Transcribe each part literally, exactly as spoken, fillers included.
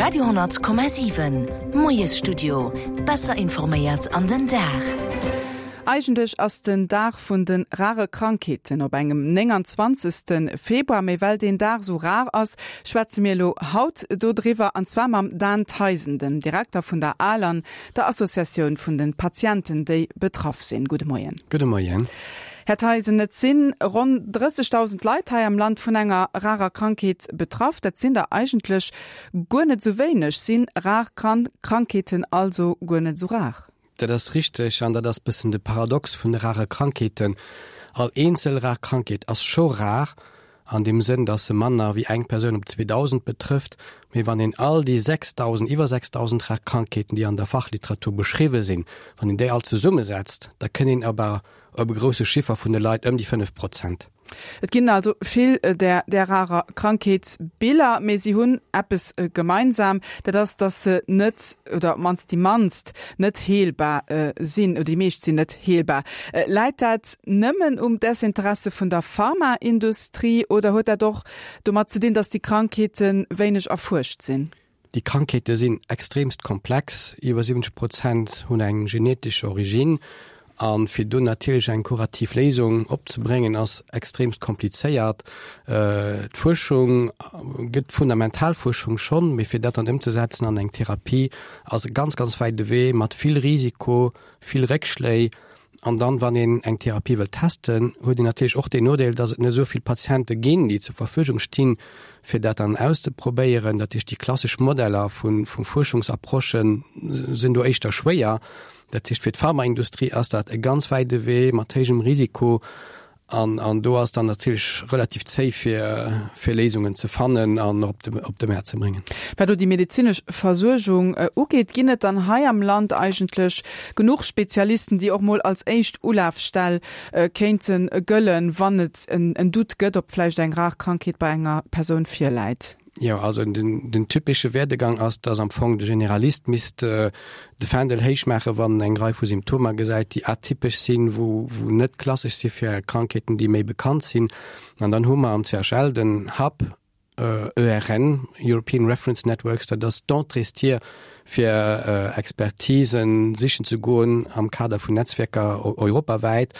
Radio honnert Komma siwen, Moiesstudio, besser informéiert an den Dag. Eigentlech ass den Dag vun de rare Krankheeten op engem nénganzwanzegste Februar, mee well deen Dag sou rar ass, schwätze mir elo haut dodriwwer, an zwar mam Dan Theisen, dem Direkter vun der ALAN, der Associatioun vun de Patienten, déi betraff sinn. Gudde Moien. Gudde Moien. Här Theisen, et si ronn drëssegdausend Leit hei am Land vun enger rarer Krankheet betraff. Dat sinn der eigentlech guer net sou wéineg. Sinn rar Krankheeten also guer net sou rar? Dat ass richteg an dat ass bëssen de Paradox vun de rare Krankheeten. All eenzel rar Krankheet ass scho rar, an deem Sënn, dass se manner wéi eng Persoun op zweedausend betrëfft. Mee wann een all déi sechsdausend, iwwer sechsdausend rar Krankheeten, déi an der Fachliteratur beschriwwe sinn, wann een déi all zesummesetzt, da kënn een op op e grousse Chiffer vun de Leit ëm déi fënnef Prozent. Et ginn also vill där där rarer Krankheetsbiller, mee si hunn eppes gemeinsam, dat ass, datt se net, oder op d'mannst déi mannst, net heelbar sinn, oder déi meescht sinn net heelbar. Läit dat nëmmen um Desinteresse vun der Pharmaindustrie oder huet dat och domat ze dinn, datt déi Krankheete wéineg erfuerscht sinn? Déi Krankheete sinn extremst komplex, iwwer siwwenzeg Prozent hunn eng genetesch Origine. A fir do natierlech eng kurativ Léisung opzebréngen, ass extremst komplizéiert. D'Fuerschung gëtt, fundamental Fuerschung schonn, mee fir dat dann ëmzesetzen an eng Therapie, ass e ganz, ganz wäite Wee mat vill Risiko, vill Réckschléi. An dann, wann een eng Therapie wëllt testen, huet een natierlech och deen Nodeel, dass et net esou vill Patiente ginn, déi zur Verfügung stinn, fir dat dann auszeprobéieren. Dat heescht, déi klassesch Modeller vu Fuerschungsapprochë sinn do éischter schwéier. Dat heescht, fir d'Pharmaindustrie ass dat e ganz wäite Wee mat héijem Risiko. An, an do ass dann natierlech relativ zéi fir, fir Léisungen ze fannen an op de, op de Mäert ze bréngen. Wat elo déi medezinesch Versuergung ugeet, ginn et dann hei am Land eigentlech genuch Spezialisten, déi och mol als éischt Ulafstell kéinte gëllen, wann et en, en Doute gëtt, ob vläicht eng rar Krankheet bei enger Persoun virläit? Jo, also den, den typesche Werdegang ass, dass am Fong de Generalist misst de Fändel héich maachen, wann en eng Rei vu Symptomer gesäit, déi atypesch sinn, wou, wou net klassesch si fir Krankheeten, déi méi bekannt sinn. An dann hu mer am C H L den Hub E R N, European Reference Networks, dat ass d'Entréestier fir Expertisen sichen ze goen am Kader vun Netzwerker europawäit.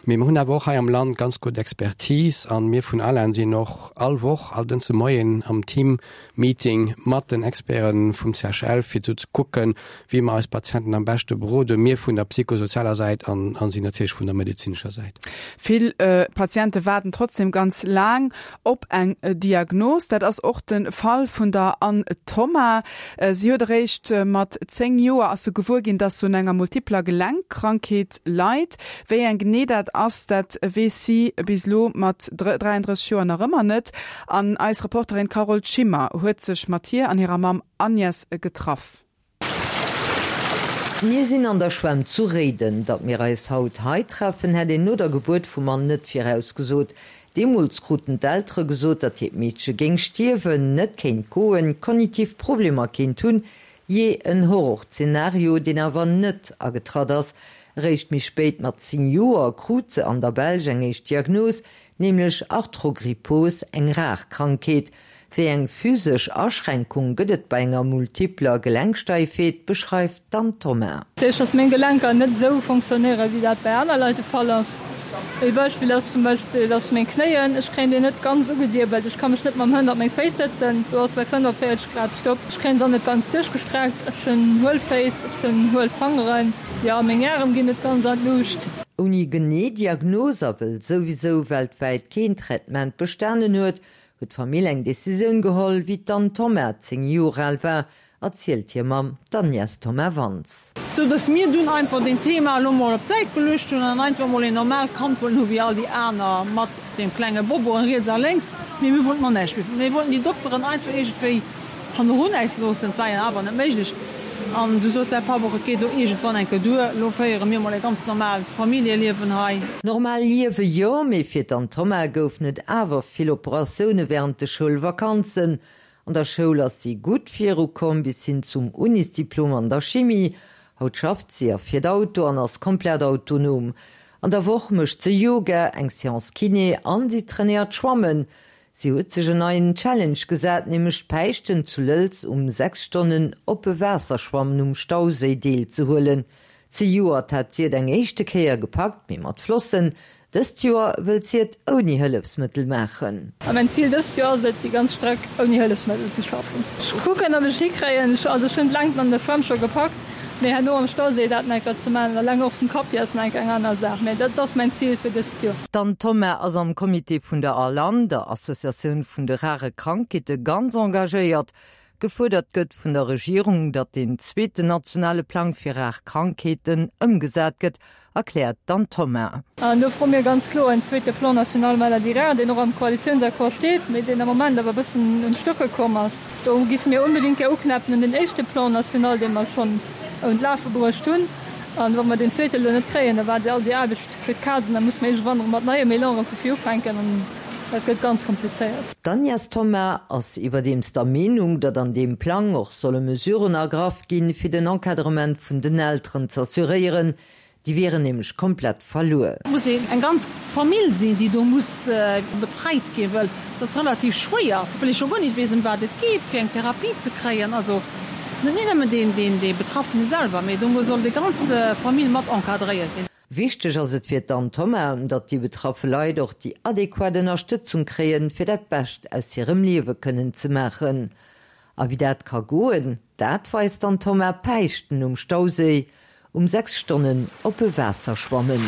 Mee mir hunn awer och hei am Land ganz gutt Expertise an mir vun ALAN sinn och all Woch, all Dënschde Moien am Team-Meeting mat den Experte vum C H L, fir esou ze kucken, wéi mer eis Patienten am beschte beroden, mir vun der psychosozialer Säit an si natierlech vun der medezinescher Säit. Vill Patiente waarden trotzdem ganz laang op eng Diagnos. Dat ass och de Fall vun der Anne Thomas. Si huet eréischt mat zéng Joer ass se gewuer ginn, dass se un enger multipler Gelenkkrankheet leit. Wéi eng genee dat ass, dat weess si bis elo mat dräiandrësseg Joer nach ëmmer net. An eis Reporterin Carole Schimmer huet sech mat hir an hirer Mamm Agnès getraff. Mir sinn an der Schwämm zu Réiden. Datt mir eis haut hei treffen, hätt een no der Gebuert vum Mann net virausgesot. Deemools kruten d'Eltere gesot, datt hiert Meedche géing stierwen, net kéint goen, kognitiv Problemer kéint hunn. Jee, en Horrorzenario, deen awer net agetratt ass. Eréischt méi spéit, mat zéng Joer, krut se an der Belsch eng éischt Diagnos, nämlech Arthrogrypose, eng rar Krankheet. Wéi eng physesch Aschränkung gëtt et bei enger multipler Gelenksteifheet, beschreift d'Anne Thomas. Dat heescht, dass meng Gelenker net esou fonctionnéieren, wéi dat bei aner Leit de Fall ass. Ee Beispill ass zum Beispill, dass meng Knéien, ech kréien déi net ganz ugediebelt, ech ka mech net mam Hënn op meng Féiss sëtzen, do ass bei fënnefvéierzeg Grad Stopp. Ech kréien se och net ganz duerchgestreckt, ech hunn huel Féiss, ech hunn huel Fangeren, jo, meng Ärem ginn net ganz an d'Luucht. Ouni genee Diagnos a wëll souwisou weltwäit keen Traitement bestanen huet, huet d'Famill eng Decisioun geholl, wéi d'Anne Thomas zéng Joer al war, erzielt hir Mamm, d'Agnès Thomas-Wantz. Sou dass mir dunn einfach deen Thema elo mol op d'Säit geluecht hunn an einfach mol een normaalt Kand wollten hu wéi all déi aner, mat deem klenge Boboen riets a lénks. Mee mir wollten och näischt méi. Mir wollten déi Dokteren einfach iergendwéi hannerun äis loossen. Et war jo awer net méiglech. An du sot säi Papp och, et geet elo iergendwann eng Kéier duer, elo féiere mir mol e ganz normaalt Familljeliewen hei. Normal Liewe jo, mee fir d'Anne Thomas goufen et awer vill Operatioune wärend de Schoulvakanzen. An der Schoul ass si gutt virukomm, bis hin zum Unisdiplom an der Chimie. Haut schafft si a fiert Auto an ass komplett autonom. An der Woch mécht se Yoga, eng Seance Kiné an si trainéiert Schwammen. Si huet sech en neien Challenge gesat, nämlech d'Päischten zu Lëlz um sechs Stonnen oppe Waasserschwammen um Stauséi deelzehuelen. Zejoert hat si et eng éischte Kéier gepackt, mee mat Flossen. Dëst Joer wëllt si et ouni Hëllefsmëttel maachen. A mäin Zil dëst Joer ass et, déi ganz Streck ouni Hëllefsmëttel ze schaffen. Ech kucken, ob ech et hikréien. Also ech hunn d'Längt an der Schwämm scho gepackt, mee herno am Stauséi dat nach eng Kéier ze maachen, eleng och vum Kapp hier ass nach eng Kéier eng aner Saach. Mee dat ass mäin Zil fir dëst Joer. D'Anne Thoma ass am Comité vun der ALAN, der Associatioun vun de rare Krankheete, ganz engagéiert. Gefuerdert gëtt vun der Regierung, datt den zweeten nationale Plang fir rar Krankheeten ëmgesat gëtt, erkläert d'Anne Thoma. An do froe mir ganz kloer en zweete Plan national maladies rares, deen och am Koalitiounsaccord steet, mee deen am Moment awer e bëssen un d'Stocke komm ass. Do géife mir onbedéngt gär uknäppen un den éischte Plan national, dee mer schonn un d'Lafe bruecht hunn. An wa mer deen zweete elo net kréien, da war all déi Aarbecht fir d'Kaz an da musse mer iergendwann erëm mat neiem Elan erëm vu vir ufänken an dat gëtt ganz komplizéiert. D'Agnès Thoma ass iwwerdeems der Meenung, datt an deem Plang och solle Mesuren ergraff ginn, fir den Encadrement vun den Elteren z'assuréieren. Déi wieren nämlech komplett verluer. Et muss eng ganz Famill sinn, déi do muss betreit ginn, well et ass relativ schwéier, well ee scho guer net weess, ëm wat et geet, fir eng Therapie ze kréien. Also net nëmmen deen, deen, dee Betraffene selwer, mee do soll déi ganz Famill mat encadréiert ginn. Wichteg ass et fir d'Anne Thoma, datt déi betraffe Leit och déi adequat Ënnerstëtzung kréien, fir dat Bescht aus hirem Liewe kënnen ze maachen. A wéi dat ka goen, dat weist d'Anne Thoma Päischten um Stauséi um sechs Stonnen oppe Waasser schwammen.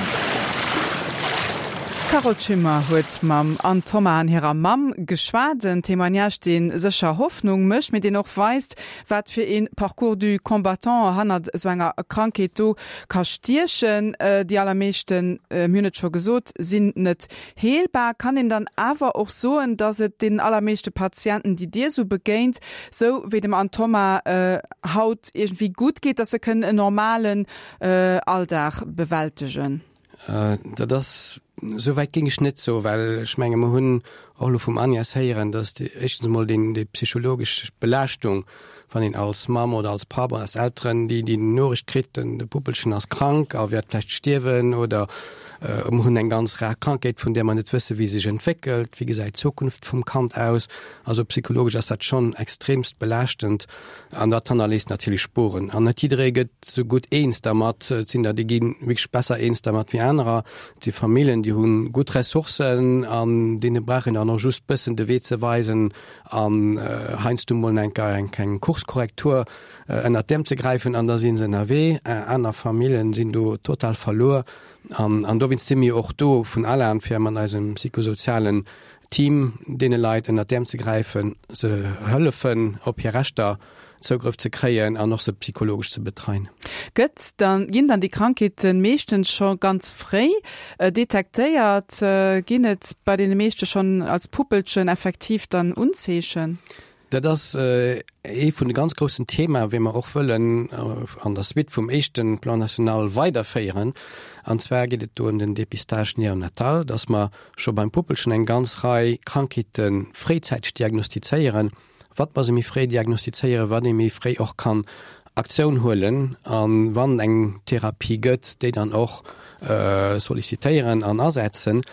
D'Carole Schimmer huet mam Anne Thoma an hirer Mamm geschwat. En Témoignage, dee sécher Hoffnung mécht, mee deen och weist, wat fir ee Parcours du combattant hannert esou enger Krankheet do ka stiechen. Déi allermeeschten, mir hunn et scho gesot, sinn net heelbar. Kann een dann awer och soen, datt et deenen allermeeschte Patienten, déi Dir esou begéint, sou wéi dem Anne Thoma haut, iergendwéi gutt geet, datt se kënnen en normalen Alldag bewältegen? Dat ass, esou wäit géing ech net soen, well ech menge mer hunn och elo vum Agnès héieren, datt déi éischtens emol deen, déi psychologesch Belaaschtung, wann een als Mamm oder als Papp oder als Elteren déi, déi Noriicht kritt, den, de Puppelchen ass krank a wäert vläicht stierwen oder mer hunn eng ganz rar Krankheet, vun där mer net wësse wéi se sech entwéckelt, wéi gesäit d'Zukunft vum Kand aus. Also psychologesch ass dat schonn extremst belaaschtend an dat hannerléisst natierlech Spuren. An net jidderee gëtt sou gutt eens dermat. Et sinn der, déi gi wierklech besser eens dermat wéi anerer. Et si Familljen, déi hu gutt Ressourcen an deene brauch een dann och just bëssen de Wee ze weisen an heiansdo mol eng eng Kurskorrektur ënnert d'Äerm ze gräifen an da si se ënnerwee. Aner Familljen sinn do total verluer an an dowéinst si mir och do vun ALAN, fir mat eisem psychosozialen Team deene Leit ënnert d'Äerm ze gräifen, se hëllefen op hir Rechter Zougrëff ze kréien an och se psychologesch ze betreien. Gëtt dann, ginn dann déi Krankheete meeschtens scho ganz fréi detektéiert? Ginn et bei deene meeschte schonn als Puppelchen effektiv dann Unzeechen? Dat ass ee vun de ganz groussen Themae wéi mer och wëllen an der Suite vum éischte Plan national weiderféieren. An zwar geet et do ëm den Dépistage néonatal, dass mer scho beim Puppelchen eng ganz Rei Krankheete fréizäiteg diagnostizéieren. Wat mer se méi fréi diagnostizéieren, wat ee méi fréi och kann Aktioun huelen a wann eng Therapie gëtt, déi dann och sollicitéieren an asetzen.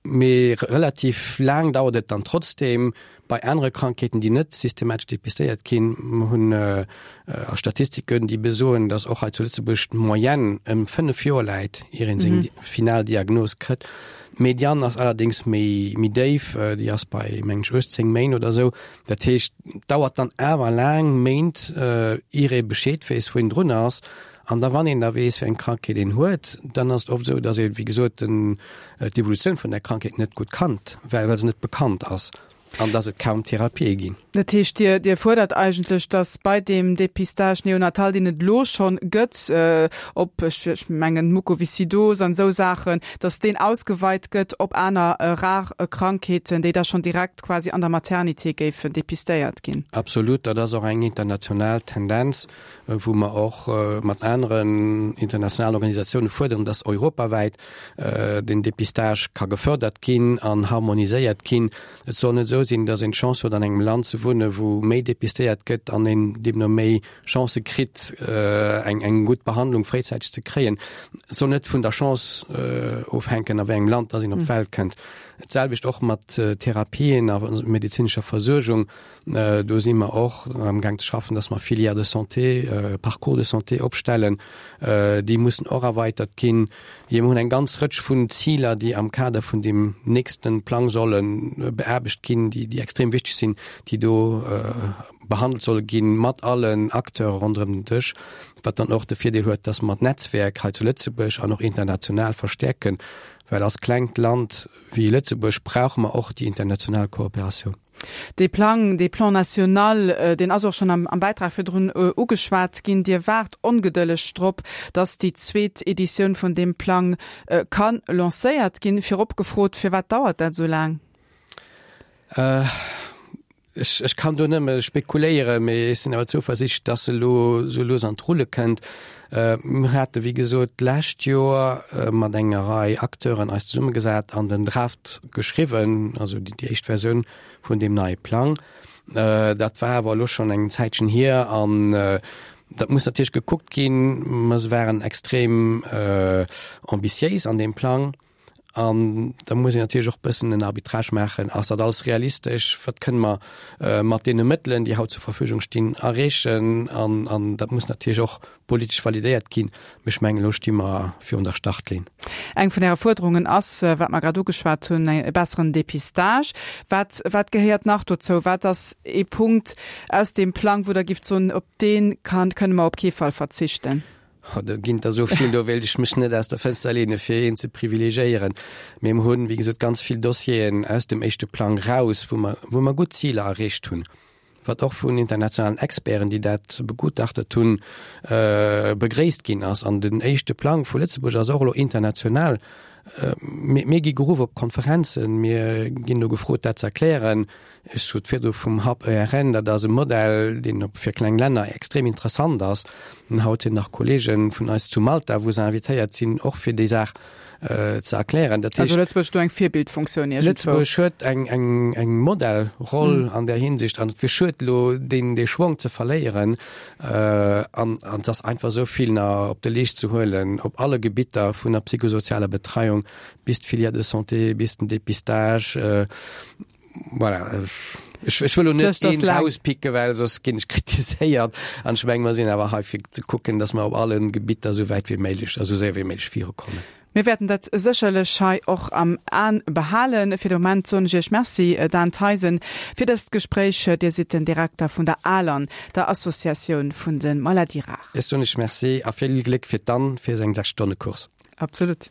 Mee relativ laang dauert et dann trotzdeem bei anere Krankheeten, déi net systematesch depistéiert ginn. Mer hunn a Statistiken, déi besoen, datt och hei zu Lëtzebuerg d'Moyenne ëm fënnef Joer läit, ier een seng final Diagnos kritt. D'Mediane ass allerdéngs méi, méi déif, déi ass bei, mengen ech, uechtzéng Méint oder esou. Dat heescht, et dauert dann awer laang Méint, ier ee Bescheed weess, wou een drun ass. An da wann een da weess, wéi eng Krankheet een huet, dann ass et oft esou, datt ee wéi gesot den d'Evolutioun vun där Krankheet net gutt kannt, well well se net bekannt ass an datt et kaum Therapië ginn. Dat heescht, Dir Dir fuerdert eigentlech, datt bei deem Dépistage néonatal, deen et elo schonn gëtt, op, ech ech mengen Mukoviscidose an esou Saachen, datt deen ausgeweit gëtt op aner rar Krankheeten, déi da schonn direkt quasi an der Maternité géifen dépistéiert ginn. Absolut, dat ass och eng international Tendenz. wou mer och mat aneren internationalen Organisatioune fuerderen, dass europawäit den Dépistage ka gefördert ginn an harmoniséiert ginn. Et soll net esou sinn, dass een d'Chance huet an engem Land ze wunne wou méi dépistéiert gëtt an een deemno méi Chancë kritt eng eng gutt Behandlung fréizäiteg ze kréien. Et soll net vun der Chance ofhänken a wéi engem Land dass een op d'Welt kënnt. D'selwecht och mat Therapien a medezinescher Versuergung. Do si mer och amgaang ze schaffen, dass mer Filières de santé, Parcours de santé opstellen. Déi mussen och erweitert ginn. Mir hunn eng ganz Rëtsch vun Ziler, déi am Kader vun deem nächste Plang solle beaarbecht ginn, déi extrem wichteg sinn, déi do behandelt solle ginn, mat allen Acteure ronderëm den Dësch, wat dann och de Virdeel huet, dass mer d'Netzwerk hei zu Lëtzebuerg an och international verstäerken, well als klengt Land wéi Lëtzebuerg brauche mer och déi international Kooperatioun. Dee Plang, dee Plan national, deen ass och schonn am Bäitrag virdrun ugeschwat ginn. Dir waart ongedëlleg drop, dass déi zweet Editioun vun deem Plang ka lancéiert ginn. Virop gefrot, Firwat dauert dat esou laang? Ech, ech kann do nëmme spekuléieren, mee ech sinn awer zouversiichtlech, dass se elo sou lues an d'Rulle kënnt. Mir hate wéi gesot d'lescht Joer mat enger Rei Acteuren eis zesummegesat an den Draft geschriwwen, also déi, déi éischt Versioun vun deem neie Plang. Dat war awer elo schonn eng Zäitchen hier an dat muss natierlech gekuckt ginn. Mer waren extrem ambitiéis an deem Plang. An da muss een natierlech och e bëssen en Arbitrage maachen, Ass dat alles realistesch? Wat kënne mer mat deene Mëttelen, déi haut zur Verfügung stinn, erreechen? An, an dat muss natierlech och politesch validéiert ginn. Mee ech mengen, elo sti mer virun der Startlinn. Eng vun Äre Fuerderungen ass, wat mer grad ugeschwat hunn, e besseren Dépistage. Wat, wat gehéiert nach dozou? Wat ass ee Punkt aus deem Plang, wou Der gifft soen, op dee kann, kënne mer op kee Fall verzichten? Oh, do ginn der esou vill, do wéilt ech mech net aus der Fënster leene fir een ze privilegiéieren. Mee mir hunn, wéi gesot, ganz vill Dossieren aus dem éischte Plang raus, wou mer, wou mer gutt Ziler erreecht hunn, wat och vun internationalen Experten, déi dat begutachtet hunn, begréisst ginn ass. An den éischte Plang vu Lëtzebuerg ass och elo international. Mir, mir gi geruff op Konferenzen, mir ginn do gefrot, dat ze erklären. Ech sot virdu vum Hub E R N, dat ass e Modell, deen op fir kleng Länner extrem interessant ass. An haut sinn nach Kollege vun eis zu Malta, wou se invitéiert sinn, och fir déi Saach ze erklären. Dat heescht, also Lëtzebuerg do eng Virbildfunktioun iergendwou. Lëtzebuerg huet eng, eng, eng Modellroll an där Hinsicht an et wier schued elo deen, dee Schwong ze verléieren. An, an et ass einfach esou vill nach op de Leescht ze huelen op alle Gebitter vun der psychosozialer Betreiung bis d'Filière de santé, bis den Dépistage. Voilà, ech, ech wëll elo net een rauspicken, well soss ginn ech kritiséiert. An ech menge mer sinn awer hei fir ze kucken, datt mer op alle Gebitter esou wäit wéi méiglech, esou séier wéi méiglech virukommen. Mir wäerten dat sécherlech hei och am Aen behalen. Fir de Moment soen ech Iech Merci, Dan Theisen, fir dëst Gespréich. Dir sidd den Direkter vun der ALAN, der Associatioun vun de Maladies rares. Ech soen Iech Merci a vill Gléck fir d'Anne fir seng Sechs-Stonne-Course. Absolut.